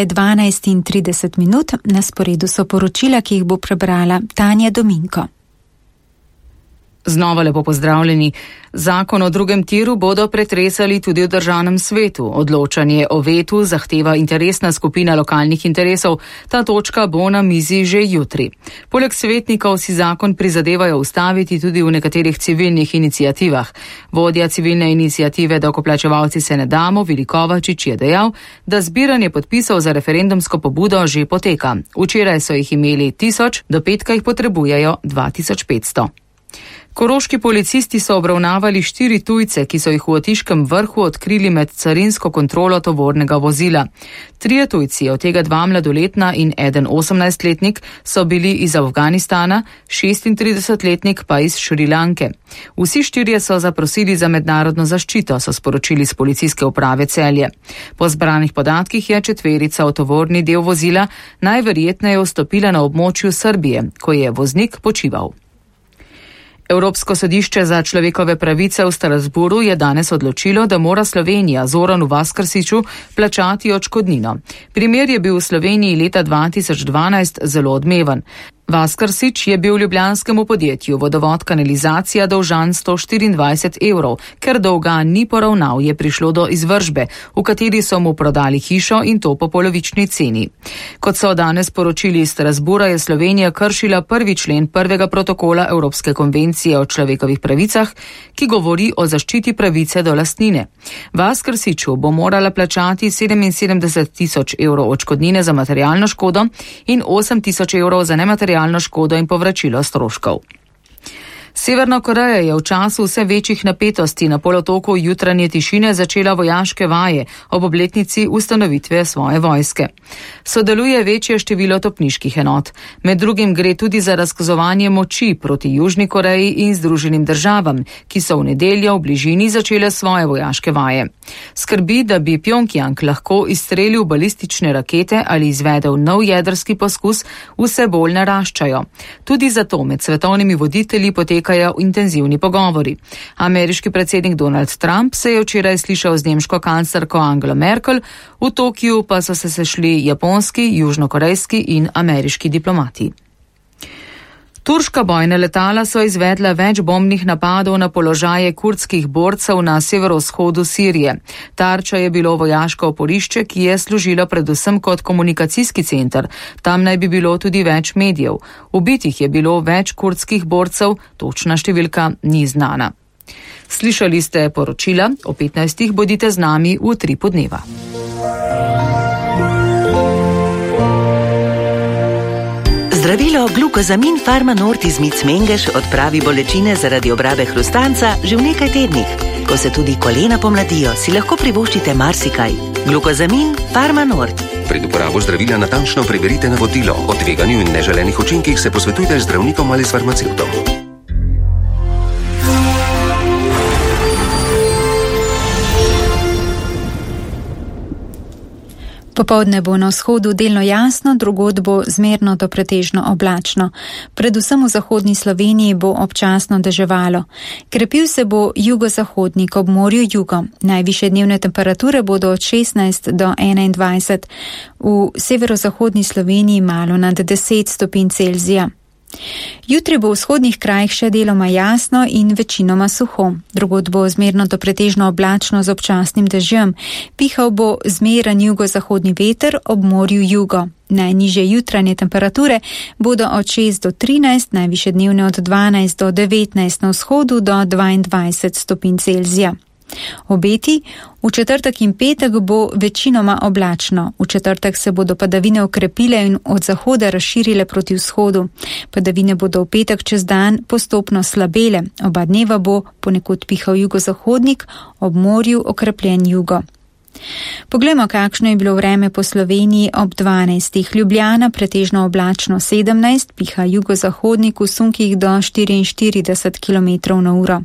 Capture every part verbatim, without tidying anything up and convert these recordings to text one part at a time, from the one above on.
dvanajst in trideset minut, na sporedu so poročila, ki jih bo prebrala Tanja Dominko. Znova lepo pozdravljeni. Zakon o drugem tiru bodo pretresali tudi v državnem svetu. Odločanje o vetu zahteva interesna skupina lokalnih interesov. Ta točka bo na mizi že jutri. Poleg svetnikov si zakon prizadevajo ustaviti tudi v nekaterih civilnih inicijativah. Vodja civilne inicijative Davkoplačevalci se ne damo, Vili Kovačič, je dejal, da zbiranje podpisov za referendumsko pobudo že poteka. Včeraj so jih imeli tisoč, do petka jih potrebujejo dva tisoč petsto. Koroški policisti so obravnavali štiri tujce, ki so jih v Otiškem Vrhu odkrili med carinsko kontrolo tovornega vozila. Trije tujci, od tega dva mladoletna in eden osemnajstletnik, so bili iz Afganistana, šestintridesetletnik pa iz Šrilanke. Vsi štirje so zaprosili za mednarodno zaščito, so sporočili z policijske uprave Celje. Po zbranih podatkih je četverica v tovorni del vozila najverjetneje vstopila na območju Srbije, ko je voznik počival. Evropsko sodišče za človekove pravice v Strasbourgu je danes odločilo, da mora Slovenija Zoranu Vaskrsiču plačati odškodnino. Primer je bil v Sloveniji leta dva tisoč dvanajst zelo odmeven. Vaskrsič je bil ljubljanskemu podjetju Vodovod kanalizacija dolžan sto štiriindvajset evrov, ker dolga ni poravnal, je prišlo do izvržbe, v kateri so mu prodali hišo in to po polovični ceni. Kot so danes poročili iz Strasbourga, je Slovenija kršila prvi člen prvega protokola Evropske konvencije o človekovih pravicah, ki govori o zaščiti pravice do lastnine. Vaskrsiču bo morala plačati sedeminsedemdeset tisoč evrov odškodnine za materialno škodo in osem tisoč evrov za nematerialno škodo in povračilo stroškov. Severna Koreja je v času vse večjih napetosti na polotoku jutranje tišine začela vojaške vaje ob obletnici ustanovitve svoje vojske. Sodeluje večje število topniških enot. Med drugim gre tudi za razkazovanje moči proti Južni Koreji in Združenim državam, ki so v nedeljo v bližini začele svoje vojaške vaje. Skrbi, da bi Pjongjang lahko izstrelil balistične rakete ali izvedel nov jedrski poskus, vse bolj naraščajo. Tudi zato med svetovnimi voditelji poteka intenzivni pogovori. Ameriški predsednik Donald Trump se je včeraj slišal z nemško kanclerko Angelo Merkel, v Tokiju pa so se sešli japonski, južnokorejski in ameriški diplomati. Turška bojna letala so izvedla več bombnih napadov na položaje kurdskih borcev na severovzhodu Sirije. Tarča je bilo vojaško oporišče, ki je služilo predvsem kot komunikacijski center. Tam naj bi bilo tudi več medijev. Ubitih je bilo več kurdskih borcev, točna številka ni znana. Slišali ste poročila, o petnajstih bodite z nami v tri podneva. Zdravilo Glukozamin Pharma-Nord iz Micmengeš odpravi bolečine zaradi obrabe hrustanca že v nekaj tednih. Ko se tudi kolena pomladijo, si lahko privoščite marsikaj. Glukozamin Pharma-Nord. Pred uporabo zdravila natančno preverite navodilo. O tveganju in neželenih učinkih se posvetujte z zdravnikom ali s farmacevtom. Popoldne bo na vzhodu delno jasno, drugod bo zmerno do pretežno oblačno. Predvsem v zahodni Sloveniji bo občasno deževalo. Krepil se bo jugozahodnik ob morju jugo. Najvišje dnevne temperature bodo od šestnajst do enaindvajset. V severozahodni Sloveniji malo nad deset stopinj Celzija. Jutri bo v vzhodnih krajih še deloma jasno in večinoma suho. Drugod bo zmerno do pretežno oblačno z občasnim dežjem. Pihal bo zmeren jugozahodni veter ob morju jugo. Najnižje jutranje temperature bodo od šest do trinajst, najvišje dnevne od dvanajst do devetnajst, na vzhodu do dvaindvajset stopinj Celzija. Obeti: v četrtek in petek bo večinoma oblačno. V četrtek se bodo padavine okrepile in od zahoda razširile proti vzhodu. Padavine bodo v petek čez dan postopno slabele. Oba dneva bo ponekod pihal jugozahodnik, ob morju okrepljen jugo. Poglejmo, kakšno je bilo vreme po Sloveniji ob dvanajstih. Ljubljana pretežno oblačno sedemnajst, piha jugozahodnik v sunkih do štiriinštirideset kilometrov na uro.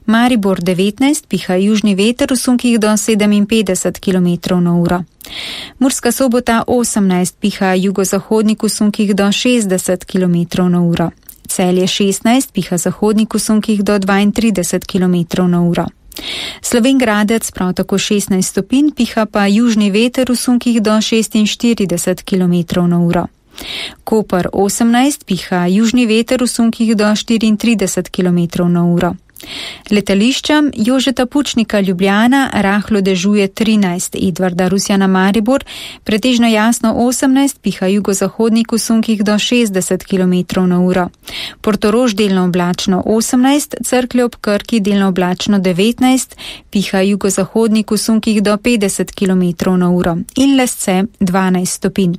Maribor devetnajst, piha južni veter v sunkih do sedeminpetdeset kilometrov na uro. Murska Sobota osemnajst, piha jugozahodnik v sunkih do šestdeset kilometrov na uro. Celje šestnajst, piha zahodnik v sunkih do dvaintrideset kilometrov na uro. Slovenj Gradec prav tako šestnajst stopinj, piha pa južni veter v sunkih do šestinštirideset kilometrov na uro. Koper osemnajst, piha južni veter v sunkih do štiriintrideset kilometrov na uro. Letališčem Jožeta Pučnika Ljubljana rahlo dežuje trinajst, Edvarda Rusjana Maribor pretežno jasno osemnajst, piha jugozahodnik v sunkih do šestdeset kilometrov na uro. Portorož delno oblačno osemnajst, Cerklje ob Krki delno oblačno devetnajst, piha jugozahodnik v sunkih do petdeset kilometrov na uro in Lesce dvanajst stopinj.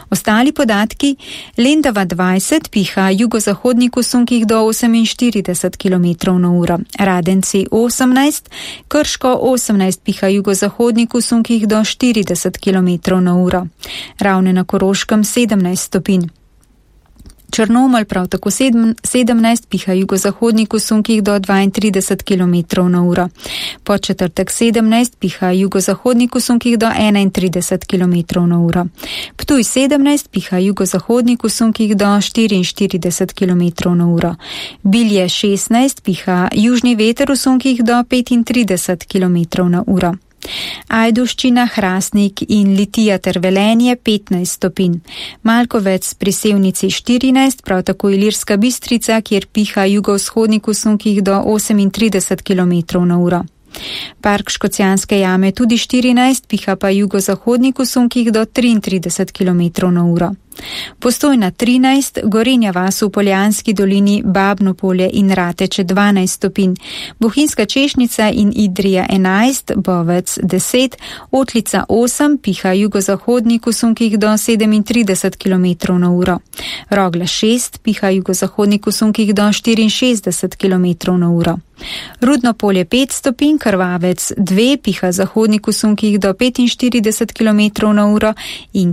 Ostali podatki: Lendava dvajset, piha jugozahodnik v sunkih do oseminštirideset kilometrov na uro. Radenci osemnajst, Krško osemnajst, piha jugozahodnik v sunkih do štirideset kilometrov na uro. Ravne na Koroškem sedemnajst stopinj. Črnomelj prav tako sedemnajst, piha jugozahodnik v sunkih do dvaintrideset kilometrov na uro. Podčetrtek sedemnajst, piha jugozahodnik v sunkih do enaintrideset kilometrov na uro. Ptuj sedemnajst, piha jugozahodnik v sunkih do štiriinštirideset kilometrov na uro. Bilje šestnajst, piha južni veter v sunkih do petintrideset kilometrov na uro. Ajdovščina, Hrastnik in Litija ter Velenje petnajst stopinj. Malkovec pri Sevnici štirinajst, prav tako Ilirska Bistrica, kjer piha jugovzhodnik v sunkih do osemintrideset kilometrov na uro. Park Škocjanske jame tudi štirinajst, piha pa jugozahodnik v sunkih do triintrideset kilometrov na uro. Postojna trinajst, Gorenja vas v Poljanski dolini, Babno polje in Rateče dvanajst stopinj, Bohinjska Češnica in Idrija enajst, Bovec deset, Otlica osem, piha jugozahodnik v sunkih do sedemintrideset kilometrov na uro. Rogla šest, piha jugozahodnik v sunkih do štiriinšestdeset kilometrov na uro. Rudno polje pet stopinj, Krvavec dve, piha zahodnik v sunkih do petinštirideset kilometrov na uro in